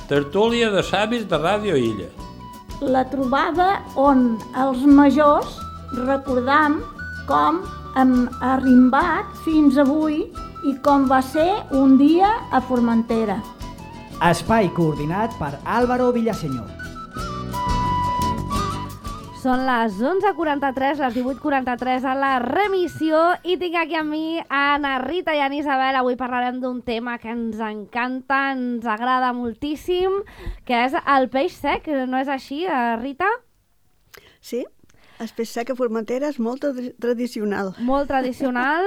Tertúlia de savis de Ràdio Illa. La trobada on els majors recordam com hem arrimbat fins avui i com va ser un dia a Formentera. Espai coordinat per Álvaro Villaseñor. Són les 11:43, les 18:43 a la remissió i tinc aquí amb mi a Anna Rita i a Isabel. Avui parlarem d'un tema que ens encanta, ens agrada moltíssim, que és el peix sec. No és així, Rita? Sí, el peix sec a Formentera és molt tradicional. Molt tradicional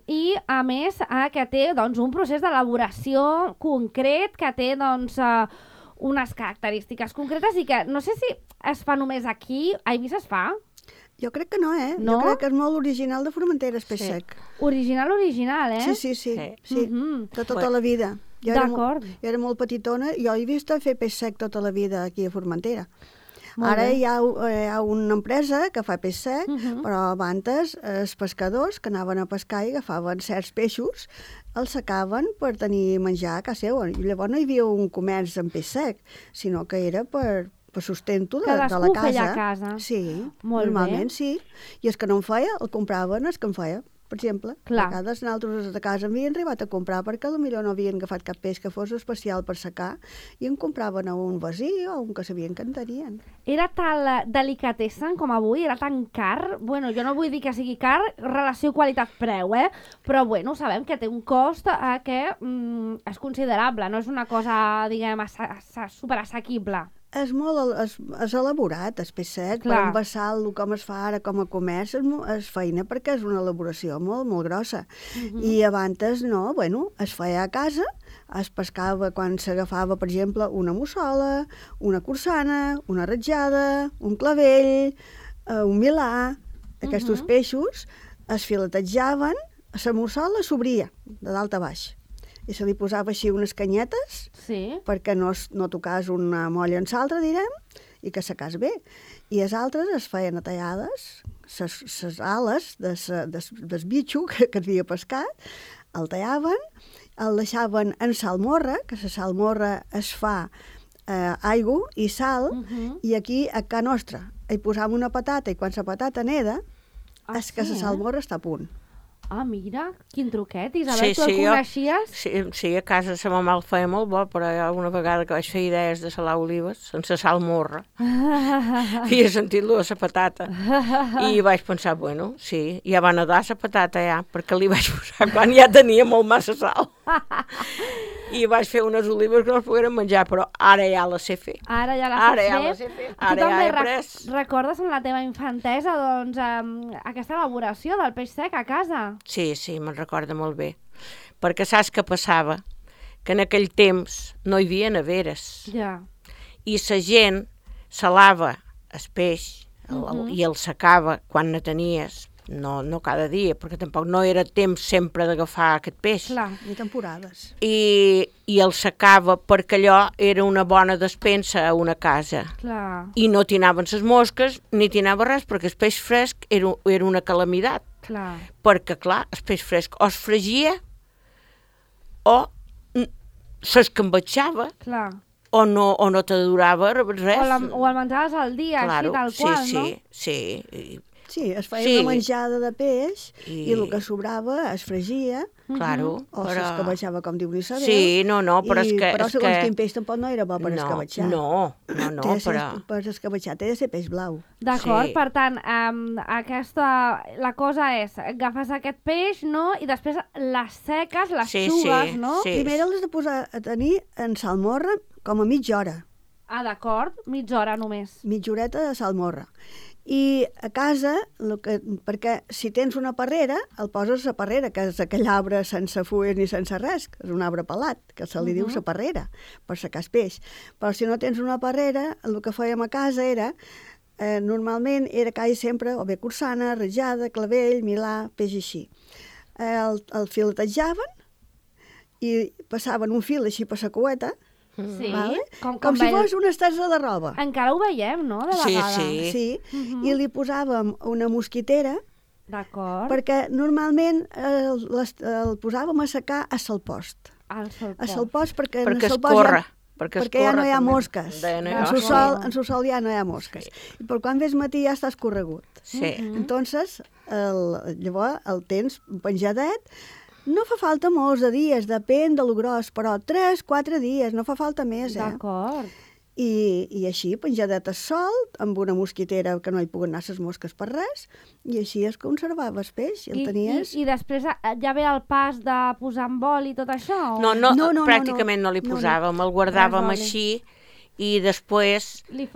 i, a més, que té un procés d'elaboració concret, que té unes característiques concretes i que no sé si es fa només aquí. A Eivissa es fa? Jo crec que no, No? Jo crec que és molt original de Formentera, el peix sec. Original, eh? Sí. De tota la vida. D'acord. Jo era molt petitona i jo he vist fer peix sec tota la vida aquí a Formentera. Molt Ara bé. hi ha una empresa que fa peix sec, però abans els pescadors que anaven a pescar i agafaven certs peixos, els secaven per tenir menjar a casa seva. I llavors no hi havia un comerç amb peix sec, sinó que era per sustento de la casa. Cadascú feia a casa. Sí, Molt normalment bé. sí. I els que no en feia, el compraven els que en feia. Per exemple, Clar. a vegades nosaltres de casa havien arribat a comprar perquè potser no havien agafat cap peix que fos especial per secar i en compraven a un vecí o un que sabien que en tenien. Era tal delicatessen com avui? Era tan car? Bueno, jo no vull dir que sigui car, relació qualitat-preu, però bueno, sabem que té un cost que és considerable, no és una cosa, diguem, superassequible. És molt és elaborat, el peix sec, Clar. per envasar-lo com es fa ara com a comerç, és feina perquè és una elaboració molt, molt grossa. I abans no, es feia a casa, es pescava quan s'agafava, per exemple, una mussola, una cursana, una ratjada, un clavell, un milà. Aquests peixos es filetejaven, la mussola s'obria de dalt a baix. I se li posava així unes canyetes perquè no tocàs una molla en l'altra, direm, i que secàs bé. I les altres es feien a tallades, les ales del bitxo que havia pescat, el tallaven, el deixaven en salmorra, que la salmorra es fa aigua i sal, i aquí a casa nostra hi posàvem una patata i quan la patata neda, és que la salmorra està a punt. Ah, mira, quin truquet. Isabel, tu el coneixies? Sí, a casa sa mamà el feia molt bo, però hi ha alguna vegada que vaig fer idees de salar olives sense sal morra. Havia sentit-lo de la patata. I vaig pensar, bueno, sí, ja va nedar la patata ja, perquè li vaig posar quan ja tenia molt massa sal. I vaig fer unes olives que no es pogueren menjar, però ara ja la sé fer. Ara ja la sé fer. Ara Tu ja també he après. recordes en la teva infantesa aquesta elaboració del peix sec a casa? Sí, me'n recorda molt bé. Perquè saps què passava? Que en aquell temps no hi havia neveres. Ja. I la gent salava el peix i el secava quan ne tenies. No cada dia, perquè tampoc no era temps sempre d'agafar aquest peix. Clar. Ni temporades. I el secava perquè allò era una bona despensa a una casa. Clar. I no tinaven les mosques ni tinava res, perquè el peix fresc era una calamitat. Clar. Perquè, clar, el peix fresc o es fregia o s'escambatxava o no te durava res. O el menjaves al dia, claro, així tal qual, no? Sí, es feia una menjada de peix i el que sobrava es fregia o s'escabetxava, com diu l'Isabel. Sí, però és que... Però segons quin peix tampoc no era bo per escabetxar. No, però... Per escabetxar té de ser peix blau. D'acord, per tant, la cosa és, agafes aquest peix, no?, i després les seques, les sugues, no? Primer l'has de posar a tenir en salmorra com a mitja hora. Ah, d'acord, mitja hora només. Mitja horeta de salmorra. I a casa, perquè si tens una parrera, el poses a la parrera, que és aquell arbre sense fulles ni sense res, que és un arbre pelat, que se li diu la parrera, per secar el peix. Però si no tens una parrera, el que fèiem a casa era, normalment era quasi sempre, o bé cursana, ratjada, clavell, milà, peix així. El filetejaven i passaven un fil així per la cueta, Sí, vale? Com si fos una estesa de roba. Encara ho veiem, no?, de vegades. Sí. I li posàvem una mosquitera, d'acord, perquè normalment el posàvem a secar a salpost. Al salpost. A salpost perquè es corre. perquè ja no hi ha també. mosques. Ja no hi ha En su sol ja no hi ha mosques. I per quan ves matí ja estàs corregut. Sí. Entonces, llavors el tens penjadet. No fa falta molts de dies, depèn de lo gros, però 3-4 dies, no fa falta més, D'acord. I així, penjadet al sol, amb una mosquitera que no hi puguen anar les mosques per res, i així es conservava el peix, i el tenies... I després ja ve el pas de posar en bol i tot això? O? No, pràcticament no li posàvem, el guardàvem Res així, i després, les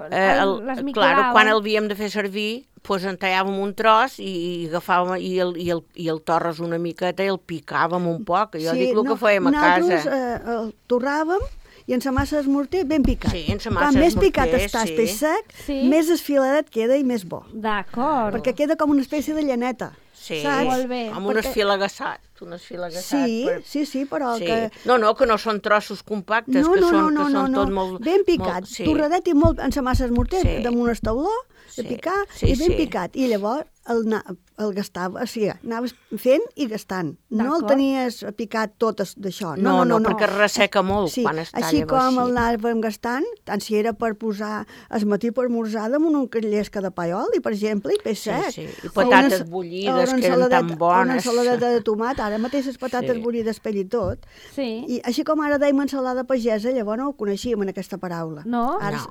clar, quan el havíem de fer servir, doncs en tallàvem un tros i agafàvem i el torres una miqueta i el picàvem un poc. Jo dic el que fèiem a casa. Nosaltres el torràvem i en la massa d'esmorter ben picat. Sí, en la massa Quan més d'esmorter, picat està el peix sec, més esfiladet queda i més bo. D'acord. Perquè queda com una espècie de llaneta. Sí, saps? Molt bé. Amb un esfilagassat. Sí, però sí. que... que no són trossos compactes, que són tot molt... Ben picat, torradet i molt en la massa d'esmorter, damunt el tauló, de picar, i ben picat. I llavors el gastava, o sigui, anaves fent i gastant. No el tenies picat tot d'això. No, perquè resseca molt quan es talla així com el anàvem gastant, tant si era per posar el matí per esmorzar damunt un llesca de paiol, per exemple, i peix sec. I patates bullides, que eren tan bones. Una ensaladeta de tomat, ara mateix les patates bullides pell i tot. I així com ara dèiem ensalada pagesa, llavors no ho coneixíem en aquesta paraula. No? Ara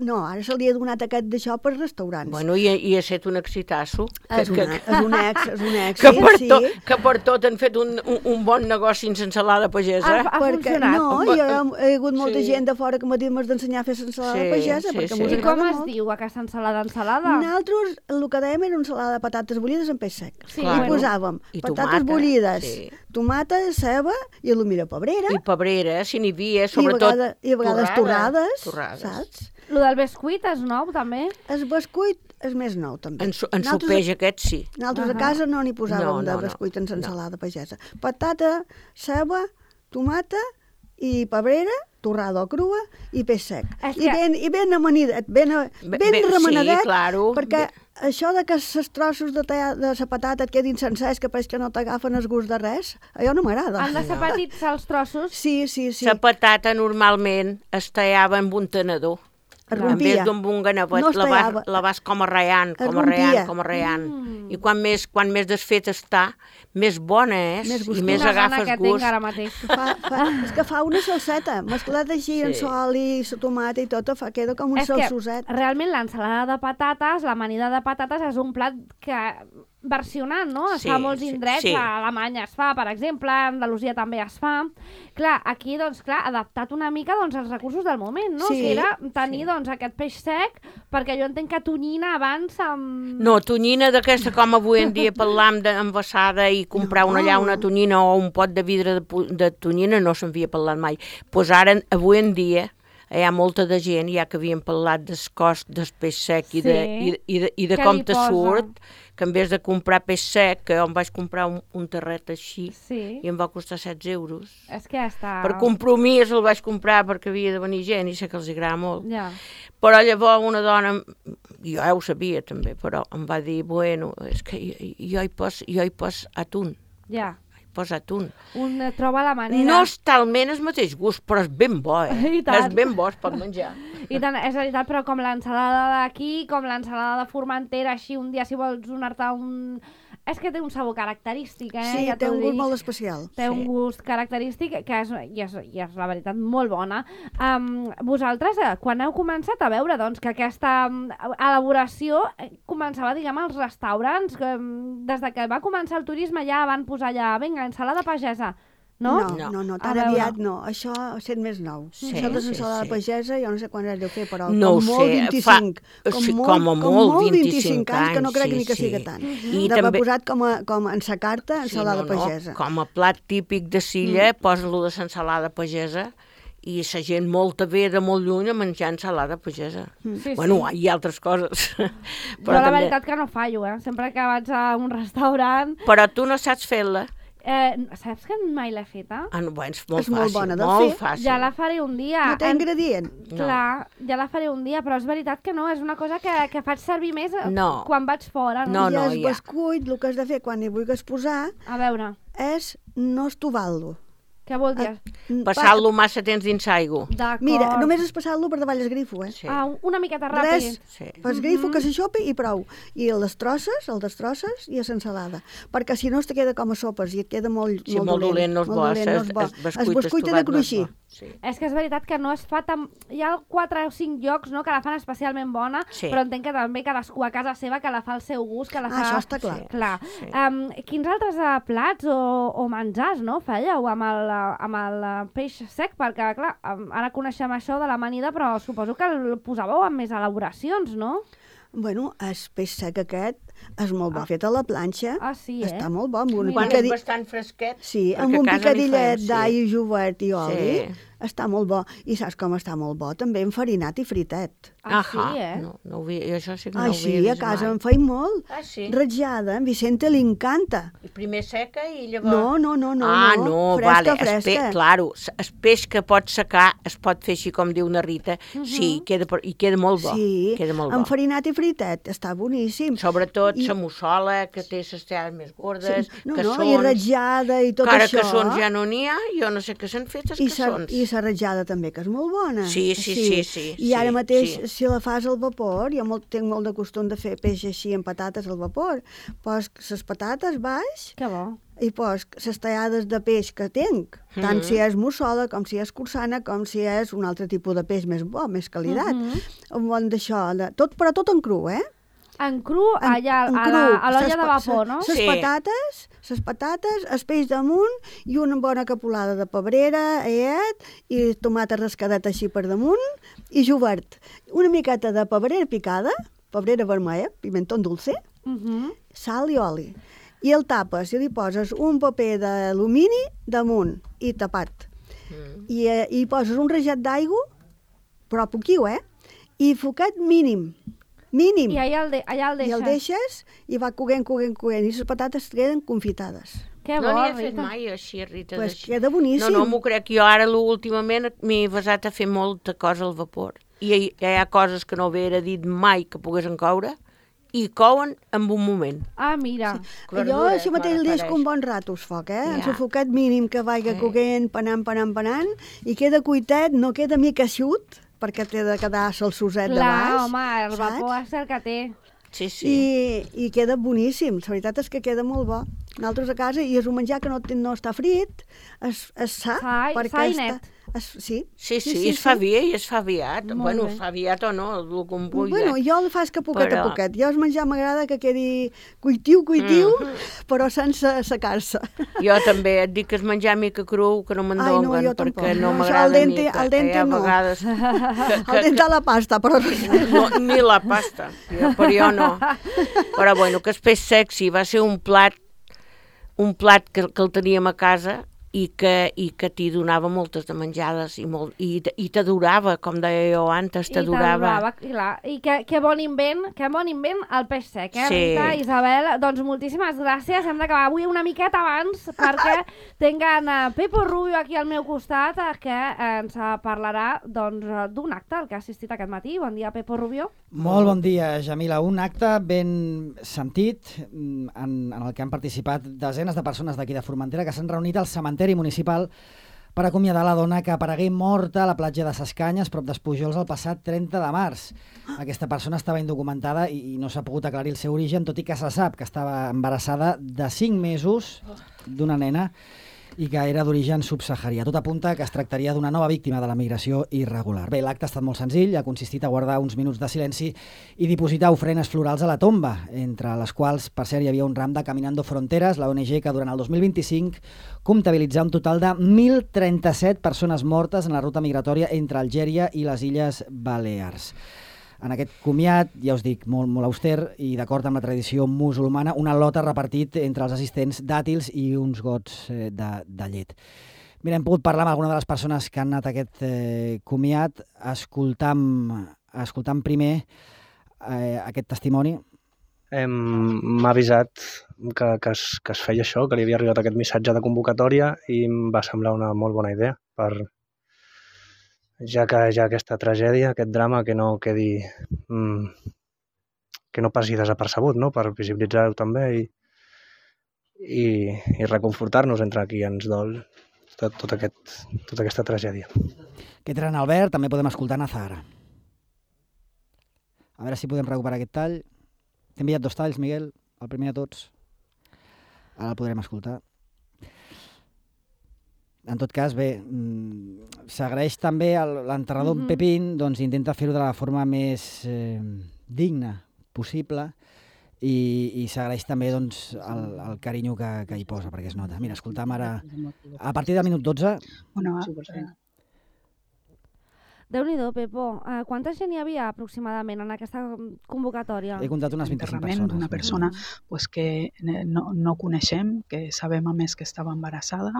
se li ha donat aquest d'això per restaurants. Bueno, i ha estat un exitasso. És un èxit, que per tot han fet un bon negoci en ensalada pagesa. Ha funcionat. No, hi ha hagut molta gent de fora que m'ha dit m'has d'ensenyar a fer ensalada pagesa, perquè m'ho I com es diu aquesta ensalada? Nosaltres el que dèiem era una ensalada de patates bullides amb peix sec. I posàvem patates bullides, tomata, ceba i potser pebrera. I pebrera, si n'hi havia, sobretot i a vegades torrades, saps? Lo del bescuit és nou, també? El bescuit és més nou, també. En sopeix aquest, sí. Nosaltres a casa no n'hi posàvem de bescuit en ensalada pagesa. Patata, ceba, tomata i pebrera, torrada o crua, i peix sec. I ben amanidet, ben remenadet, perquè això de que els trossos de la patata et quedin sencers, que pareix que no t'agafen el gust de res, allò no m'agrada. Han de ser petits els trossos? Sí. La patata normalment es tallava amb un tenedor. En vez d'un un ganavet, la vas com a raiant. I quan més desfet està, més bona és, i més agafes gust. És que fa una salseta, mesclat així en sol i la tomata i tot, queda com un salsoset. Realment l'ensalada de patates, l'amanida de patates és un plat que versionant, no? Es fa a molts indrets, a Alemanya es fa, per exemple, a Andalusia també es fa. Clar, aquí, doncs, adaptat una mica als recursos del moment, no? Que era tenir, aquest peix sec, perquè jo entenc que tonyina abans amb... No, tonyina d'aquesta, com avui en dia parlam d'envasada i comprar una tonyina o un pot de vidre de tonyina, no s'havia parlat mai. Doncs ara, avui en dia, hi ha molta de gent, ja que havíem parlat del cost del peix sec i de com te surt, que en vez de comprar peix sec, que jo em vaig comprar un terret així, i em va costar 16 euros. És que ja està... Per compromís el vaig comprar perquè havia de venir gent i sé que els agrada molt. Però llavors una dona, jo ja ho sabia també, però em va dir, bueno, és que jo hi pos atún. Posa atún. Un troba la manera... No és talment el mateix gust, però és ben bo, És ben bo, es pot menjar. I tant, és veritat, però com l'ensalada d'aquí, com l'ensalada de Formentera, així un dia si vols donar-te un... És que té un sabor característic, Sí, té un gust molt especial. Té un gust característic que és la veritat molt bona. Vosaltres, quan heu començat a veure doncs, que aquesta elaboració començava, diguem, als restaurants, des de que va començar el turisme ja van posar allà, vinga, ensalada pagesa, no? No, tan aviat no. Això sent més nou. Això de l'ensalada pagesa, jo no sé quan deu fer, però com molt 25. Com a molt 25 anys, que no crec ni que sigui tant. D'haver posat com en sa carta ensalada pagesa. Com a plat típic de Silla, posa-lo de l'ensalada pagesa, i la gent molt ve de molt lluny a menjar ensalada pagesa. Bueno, hi ha altres coses. Però la veritat que no fallo, sempre que vaig a un restaurant... Però tu no saps fer-la. Saps que mai l'he feta? És molt molt bona de fer. Ja la faré un dia. No té ingredient? Clar, ja la faré un dia, però és veritat que no, és una cosa que faig servir més quan vaig fora. I el bescuit, el que has de fer quan hi vulguis posar, a veure, és no estovar-lo. Què vol dir? Passar-lo massa temps dins aigua. D'acord. Mira, només és passar-lo per davall el grifo, Sí. Una miqueta ràpid. Res, Sí. fas grifo que s'aixopi i prou. I el destrosses i a l'ensalada. Perquè si no es te queda com a sopes i et queda molt dolent, no és bo. Es bescuit de cruixir. Sí. És que és veritat que no es fa tan... Hi ha 4 o 5 llocs, no?, que la fan especialment bona, Sí. però entenc que també cadascú a casa seva que la fa al seu gust, que la fa... Això està clar. Sí. Clar. Sí. Quins altres plats o menjars, no?, fèieu amb el peix sec? Perquè, clar, ara coneixem això de l'amanida, però suposo que el posàveu amb més elaboracions, no? Bueno, el peix sec aquest és molt bo fet a la planxa. Sí, Està molt bo. Amb Mira. Quan és bastant fresquet. Sí, perquè amb a un casa picadillet li fan, d'all, jovert i oli. Sí. Està molt bo. I saps com està molt bo? També enfarinat i fritet. Sí, eh? No ho havia, això sí que no Ai, ho sí, havia a vist casa mai. en feim molt. Sí. Ratjada, a en Vicente li encanta. I primer seca i llavors... No. Fresca. Fresca. Claro, el peix que pot secar es pot fer així com diu na Rita. Sí, i queda molt bo. Sí, Queda molt bo. enfarinat i fritet, està boníssim. Sobretot la mussola, que té les teades més gordes, No, caçons... i ratjada i tot Cara això. caçons ja no n'hi ha, jo no sé què s'han fet els caçons. I la ratjada també, que és molt bona. Sí. I ara mateix, sí. si la fas al vapor, jo tinc molt de costum de fer peix així amb patates al vapor, pos les patates baix Que bo. i pos les tallades de peix que tinc, tant si és mussola, com si és cursana, com si és un altre tipus de peix més bo, més qualitat. Un bon d'això, però tot en cru, En cru, allà en a l'olla de vapor, no? Les patates, el peix damunt i una bona capolada de pebrera, i tomata rascadet així per damunt i jovert. Una miqueta de pebrera picada, pebrera vermella, pimentó dulce, sal i oli. I el tapes i li poses un paper d'alumini damunt i tapat. I poses un rajat d'aigua, però poquiu, i focat mínim. I allà el deixes. I el deixes i va coguent. I les patates queden confitades. Que bo, No n'hi he fet Rita. mai així, Rita. Pues d'així. queda boníssim. No m'ho crec. Jo ara últimament m'he basat a fer molta cosa al vapor. I hi ha coses que no havia dit mai que poguessin coure i couen en un moment. Mira. Jo això mateix el deixo un bon rato al foc, en el focat mínim que vagi coguent, panant, i queda cuitet, no queda mica eixut, perquè té de quedar salsoset de baix. Clar, home, el vapor és el que té. Sí. I queda boníssim. La veritat és que queda molt bo. Nosaltres a casa, i és un menjar que no està frit, és sa, Sa i net. Sí, es fa bé i es fa aviat. Molt Bueno, bé. es fa aviat o no, el que em vulgui. Bueno, jo el faig que poquet a Però- poquet. Jo el menjar m'agrada que quedi cuitiu, però sense secar-se. Jo també et dic que es menjar mica cru, que no me'n Ai, no, donguen, jo tampoc. perquè no No, això m'agrada al dente- mica. al dente Hi ha no. vegades El dent a la pasta, però... no, ni la pasta, però jo no. Però bueno, que el peix sec sí, va ser un plat que el teníem a casa i que t'hi donava moltes de menjades i t'adorava, com deia jo antes, t'adorava. I que bon invent el peix sec, Sí. Rita, Isabel? Doncs moltíssimes gràcies. Hem d'acabar avui una miqueta abans perquè tinc en Pepo Rubio aquí al meu costat que ens parlarà d'un acte al que ha assistit aquest matí. Bon dia, Pepo Rubio. Molt bon dia, Jamila. Un acte ben sentit en el que han participat desenes de persones d'aquí de Formentera que s'han reunit al cementeri municipal per acomiadar la dona que aparegué morta a la platja de Ses Canyes, prop d'Espujols, el passat 30 de març. Aquesta persona estava indocumentada i no s'ha pogut aclarir el seu origen, tot i que se sap que estava embarassada de 5 mesos d'una nena i que era d'origen subsaharià. Tot apunta que es tractaria d'una nova víctima de la migració irregular. Bé, l'acte ha estat molt senzill, ha consistit a guardar uns minuts de silenci i dipositar ofrenes florals a la tomba, entre les quals, per cert, hi havia un ram de Caminando Fronteras, la ONG que durant el 2025 comptabilitzà un total de 1.037 persones mortes en la ruta migratòria entre Algèria i les Illes Balears. En aquest comiat, ja us dic, molt auster i d'acord amb la tradició musulmana, una lota repartit entre els assistents dàtils i uns gots de llet. Mira, hem pogut parlar amb alguna de les persones que han anat a aquest comiat, escoltant primer aquest testimoni. M'ha avisat que es feia això, que li havia arribat aquest missatge de convocatòria i em va semblar una molt bona idea ja que hi ha aquesta tragèdia, aquest drama, que no quedi que no passi desapercebut, no? Per visibilitzar-ho també i reconfortar-nos entre qui ens dol de tota aquesta tragèdia. Aquest era en Albert, també podem escoltar Nazahara. A veure si podem recuperar aquest tall. T'he enviat 2 talls, Miguel, el primer de tots. Ara el podrem escoltar. En tot cas, bé, s'agraeix també l'enterrador Pepín, doncs intenta fer-ho de la forma més digna possible i s'agraeix també doncs, el carinyo que hi posa, perquè es nota. Mira, escoltam ara, a partir del minut 12... Déu-n'hi-do, Pepo. Quanta gent hi havia aproximadament en aquesta convocatòria? He comptat unes 25 persones. D'una persona pues, que no coneixem, que sabem a més que estava embarassada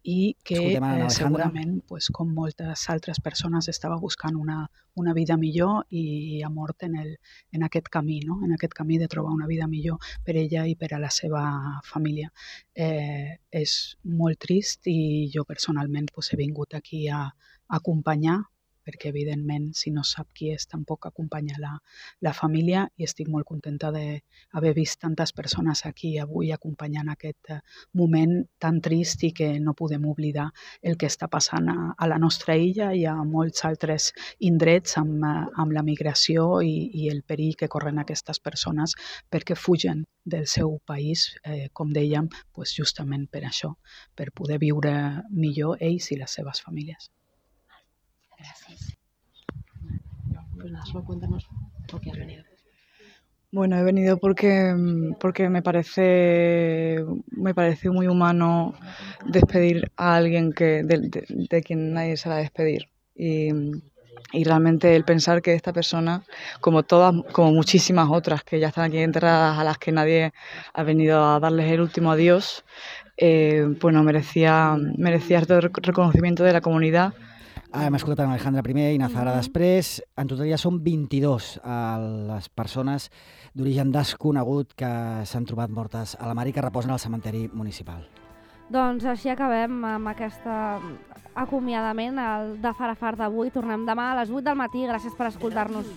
i que segurament, pues, com moltes altres persones, estava buscant una vida millor i ha mort en aquest camí, no? En aquest camí de trobar una vida millor per ella i per a la seva família. És molt trist i jo personalment pues, he vingut aquí a acompanyar, perquè evidentment si no sap qui és tampoc acompanya la família i estic molt contenta d'haver vist tantes persones aquí avui acompanyant aquest moment tan trist i que no podem oblidar el que està passant a la nostra illa i a molts altres indrets amb la migració i el perill que corren aquestes persones perquè fugen del seu país, com dèiem, pues justament per això, per poder viure millor ells i les seves famílies. Gracias. Pues nada, solo cuéntanos por qué has venido. Bueno, he venido porque me pareció muy humano despedir a alguien de quien nadie se va a despedir. Y realmente el pensar que esta persona, como muchísimas otras que ya están aquí enterradas, a las que nadie ha venido a darles el último adiós, bueno, merecía todo el reconocimiento de la comunidad. Hem escoltat en Alejandra primer i Nazahara després. En total ja són 22 les persones d'origen desconegut que s'han trobat mortes a la mar i que reposen al cementeri municipal. Doncs així acabem amb aquest acomiadament de Farafar d'avui. Tornem demà a les 8 del matí. Gràcies per escoltar-nos.